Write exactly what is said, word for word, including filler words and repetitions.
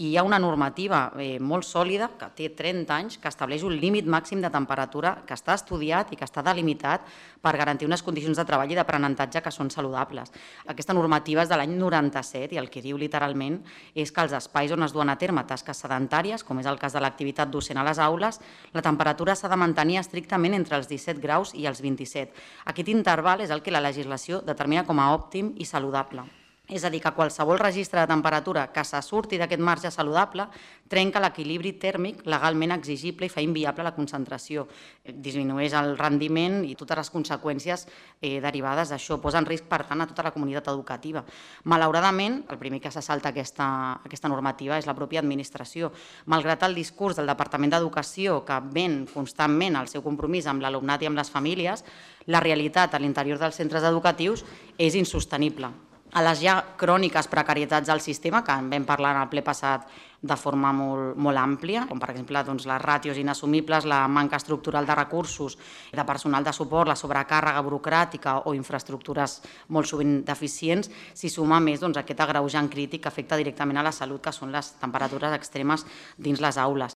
i hi ha una normativa molt sòlida, que té trenta anys, que estableix un límit màxim de temperatura que està estudiat i que està delimitat per garantir unes condicions de treball i d'aprenentatge que són saludables. Aquesta normativa és de l'any noranta-set i el que diu literalment és que els espais on es duen a terme tasques sedentàries, com és el cas de l'activitat docent a les aules, la temperatura s'ha de mantenir estrictament entre els disset graus i els vint-i-set. Aquest interval és el que la legislació determina com a òptim i saludable. És a dir, que qualsevol registre de temperatura que se surti d'aquest marge saludable trenca l'equilibri tèrmic legalment exigible i fa inviable la concentració. Disminueix el rendiment i totes les conseqüències derivades d'això. Posa en risc, per tant, a tota la comunitat educativa. Malauradament, el primer que se salta aquesta normativa és la pròpia administració. Malgrat el discurs del Departament d'Educació, que ven constantment el seu compromís amb l'alumnat i amb les famílies, la realitat a l'interior dels centres educatius és insostenible. A les ja cròniques precarietats del sistema, que en vam parlar en el ple passat de forma molt àmplia, com per exemple les ràtios inassumibles, la manca estructural de recursos, de personal de suport, la sobrecàrrega burocràtica o infraestructures molt sovint deficients, s'hi suma més aquest agreujant crític que afecta directament a la salut, que són les temperatures extremes dins les aules.